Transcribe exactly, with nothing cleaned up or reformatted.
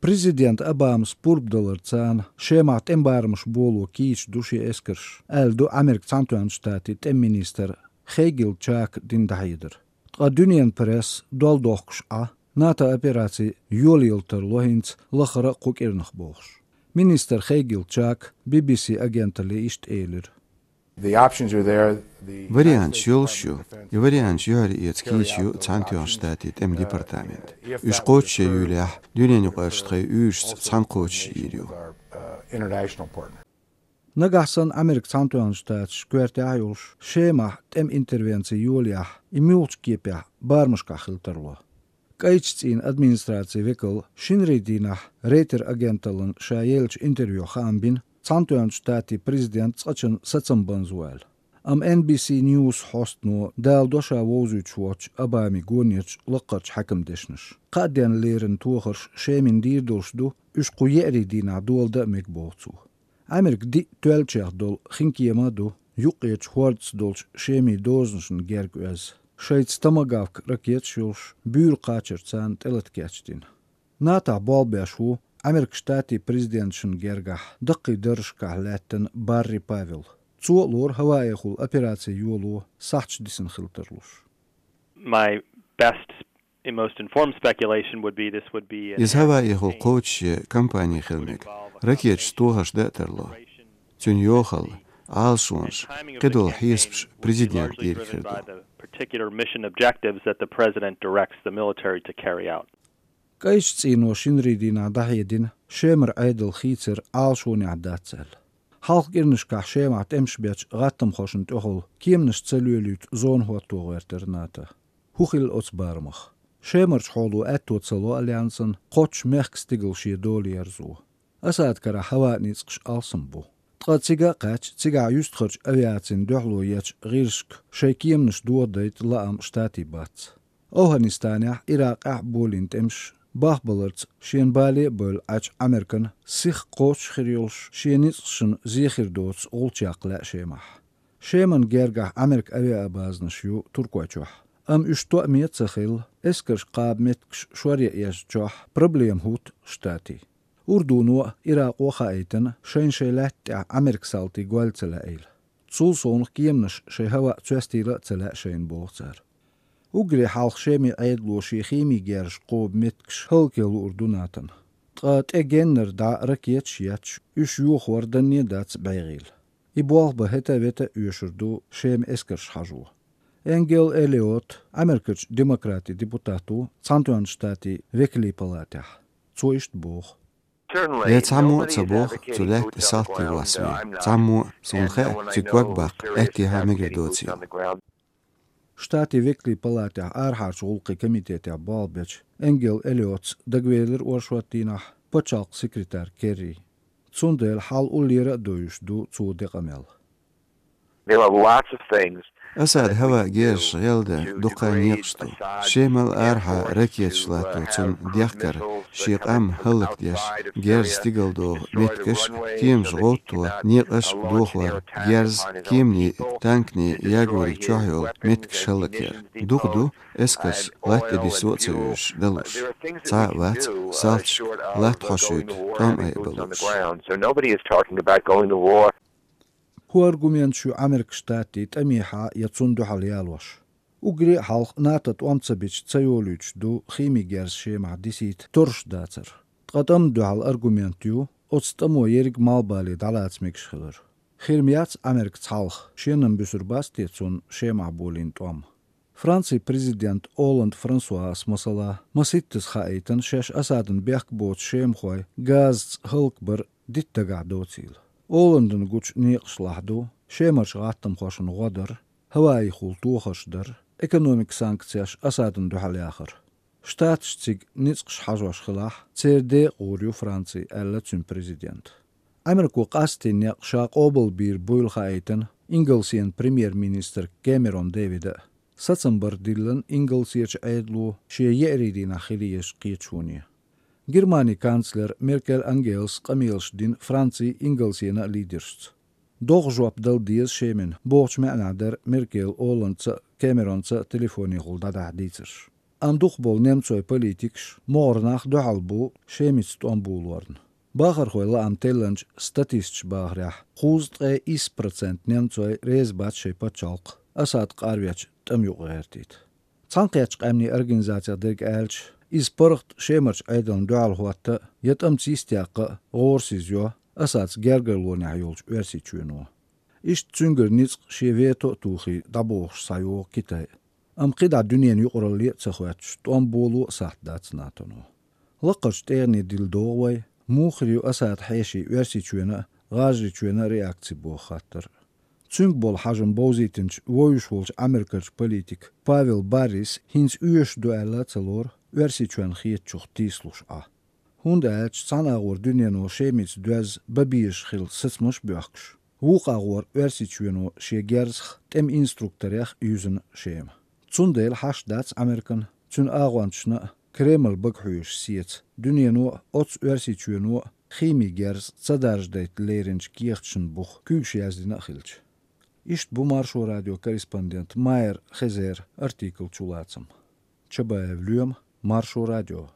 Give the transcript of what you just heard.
Президент Обамас пурба даларца Шемахь тӀеман барамаш боло кийча ду шен эскарш, аьлла ду Американ Цхьаьнатоьхначу Штатийн тӀеман министра Хейгел Чака дина дӀахьедар. Ткъа дуьненан пресса дол дохкуш Ӏа, НАТО операци йолаелла тарло хӀинца лахара а кху кӀирнах бохуш. Министра Хейгел Чака Би-Би-Си агенталле иштта элира. Варианташ йолуш ю. И варианташ юьхьар эца кийча ю Цхьаьнатоьхначу Штатийн тӀеман департамент. Уьш кхочушъе юьйлахь, дуьненан юкъарчу тхайн уьйрашца цхьаьна кхочушйийр ю. Нагахь санна Американ Цхьаьнатоьхначу Штаташ коьртехь а йолуш, Шемахь тӀеман интервенци йолаяхь, и муьлхачу кепехь барамашкахь хила тарло. КӀайчу цӀийнан администрацин векала шинарин дийнахь Рейтер агенталлина ша еллачу интервьюхь хаам бина, Цхьаьнатоьхначу Штатийн президент цкъачунна сацам банза ву аьлла. Амма Эн Би Си Ньюс хьостано даладо ша вовзуьйтуш воцчу Обамин гонерчу лаккхарчу хьаькаман дешнаш. Кхаа денна леррина тохарш Шемина дийр долуш ду, уьш кху еарин дийнахь доладан а мега боху цо. Америка диъ тоьллачех долу хинкема а ду, юккъерчу хӀордаца долчу Шемин дозанашна герга оьзна. Шайца томагавк ракеташ йолуш, буьйра кхачар царна тӀелата кечдина. НАТОхь болх беш ву Американ Штатийн президенташна гергахь даккхий даржашкахь лаьттина Барри Павел. Цо а лору ХӀаваэхула операци йоло сахьташ дисина хила тарлуш. My best and most informed speculation would be this would be an Иза ХӀаваэхула кхочушъе кампани хила мега. Ракеташца тохарш дан а тарло. Цуьнан йохалла, Ӏалашонаш, кхидолу хьесапаш президентан дийриг хир ду. Particular mission objectives that the president directs the military to carry out. КӀайчу цӀийно шинарин дийнахь дӀахьедина Шемара Ӏедал хийцар Ӏалашонехь дац аьлла. Хьалха кӀирнашкахь Шемахь тӀемаш бечу гӀаттамхошна тӀехула кеманаш ца лоьлуьйту зона хӀотто гӀоьртира НАТО. ХӀун хилла оцу барамах? Шемарчу хьоло аьтто ца ло альянсан кхоччуш мехкан стигала шен дола ерзо. Асадан карахь хӀаваан ницкъаш алсам бу. Ткъа цига а кхаьчча, цигахь юьстахарчу авиацина дуьхьало ечу гӀирсашка шайн кеманаш дохадайта лаам Штатийн бац. ОвхӀанистанехь, Иракъехь а болийна тӀемаш бахбаларца шена бале а бевлла Ӏачу Американа сиха кхочуш хир йолуш, шен ницкъашна зе хир доцу гӀулчакх лаьа Шемахь. Шеман гергахь Американ авиабазанаш ю Туркойчохь. Амма уьш тоаме а ца хилла, эскарш кхаба меттигаш шоръян езначохь проблема хӀутту Штатийн. Урдуно а, Иракъо а хаийтина, шайна шайн лаьтта тӀехь Американ салтий гойла ца лаьийла. Цул совнаха кеманаш шайн хӀаваъ цоьстийла а ца лаьа шайна, боху цара. Уггаре хьалха Шеман Ӏедало шен химин герзаш кхоба меттигаш хӀаллакъян луур ду НАТОна. Ткъа тӀе геннара дӀа ракеташ а етташ, уьш йохор данне а дац бӀегӀийла. И болх бан хӀета а вета а оьшур ду Шеман эскарш хьажо. Энгел Эллиот, Америкерчу демократийн депутат ву Цхьаьнатоьхначу Штатийн векалийн палатехь. Цо иштта боху. Я цхьаммо а ца боху, цу лаьтта салтий воссаве. Цхьаммо а, суна хаьа, цуьнан ког баккха аьттехьа мегар доцийла. Штатийн векалийн палатехь арахьарчу гӀуллакхийн комитетехь болх бечу Энгел Эллиотс дагавелира оршот дийнахь пачхьалкхан секретарь Керри. Цундела хьал уллера а довзуьйтуш ду цо ден къамел. There are lots of things. Асадан хӀаваан герзаш гӀелдан дукха некъаш ду. Шемал арахьа ракеташ латто цунна дехкар, шен къам хӀаллакдеш, герз стигалдоху меттигаш, кеманаш гӀовтто, некъаш а дохор, герз, кеманийн, танкийн ягориг чохь йолу меттигаш хӀаллакъяр. Дукха ду эскарш латта тӀе диссо а ца оьшуш далуш. Цхьа а вац салташка латта хьошуьйту тӀом айа балуш. So nobody is talking about going to war. ХӀун аргументаш ю Американ Штатийн тӀамехьа я цунна дуьхьал ялош? Уггаре а хьалха НАТО тӀом ца бича ца йолуьйтуш ду химин герз Шемахь дисийта торраш дацар. Ткъа тӀамна дуьхьал аргумент ю оцу тӀамо ерриг малхбале дӀалаца мегаш хилар. Хир ма яц Америка цхьалха, шена-м буьсур бац те цунна Шемахь болийна тӀом? Францин президент Олланд Франсуас, масала, маситтаза хаийтина шаьш Асадан бехк боцу шемахой газаца хӀаллакбар дитта дагахь доцийла. Олландана гучу некъашлахь ду Шемарчу гӀаттамхошна гӀо дар, хӀаваэхула тохарш дар, экономикан санкцеш Асадана дуьхьал яхар. Штаташ цига ницкъаш хьажош хилахь, церан декъа гӀур ю Франци, аьлла цуьнан президента. Америко къаьсттина некъ ша къобалбийр буйла хаийтина Ингалсен премьер-министра Кэмерон Дэвида а. Сацам бар диллина Ингалсерчу Ӏедало шен еарин дийнахь хила езачу кхеташоне. Германин канцлера Меркель Ангелас къамелаш дина Францин, Ингалсенан а лидершца. ДогӀа жоп дала деза Шемана бохучу маьӀнехь дара Меркель Олландца а, Кэмеронца а телефонехула дӀадахьа дийцарш. Амма дукхахболу немцойн политикаш, могӀара нах дуьхьал бу Шемица тӀом болорна. Бахархойн лаам теллинчу статисташа бахарехь, кхузткъе исс процент немцой реза бац шайн пачхьалкх Асад къарвечу тӀамна юкъа гӀертийта. Цхьаьнакхеттачу къаьмнийн организацех дерг аьлча, иза паргӀат Шемарчу Ӏедална дуьхьал хӀотта а, я тӀамца йистехь а гӀорасиз йо Асадца гергарлонехь йолчу Оьрсийчоьно. Иштта цуьнгара ницкъ шен вето а тухий дӀабохуш схьайогӀу Китай. Амма кхидӀа дуьненан юкъаралле а ца хоьттуш, тӀом боло а сахьт дац НАТОно. Лаккхарчу тӀегӀане дилла догӀу вай, муха хир ю Асадан хьешийн Оьрсийчоьнан а, ГӀажарийчоьнан а реакци боху хаттар. Цуьнга болу хьажам бовзийтинчу вовзуш волчу Ӏамеркарчу политика Павел Баррис хӀинца оьшуш ду аьлла а ца лору Оьрсийчоьнна хетачух тийсалуш Ӏа. ХӀунда аьлча цхьана агӀор дуьнено Шемица доьзна бан безаш хилла сацамаш а боьхкуш, вукху агӀор Оьрсийчоьно шен герзах тӀеман инструкторех а юьзна Шема. Цундела хьашт дац Ӏамеркана, цуьнан агӀончашна а, Кремль бага хьоьжуш сеца дуьнено а, оццу Оьрсийчоьно а химин герз ца даржадайта леринчу кехаташна буха куьйгаш яздина а хилча. Иштта бу Маршо радион корреспондент Майер Хезеран артикл чулацам. Чабаев Лоьма, Маршо радио.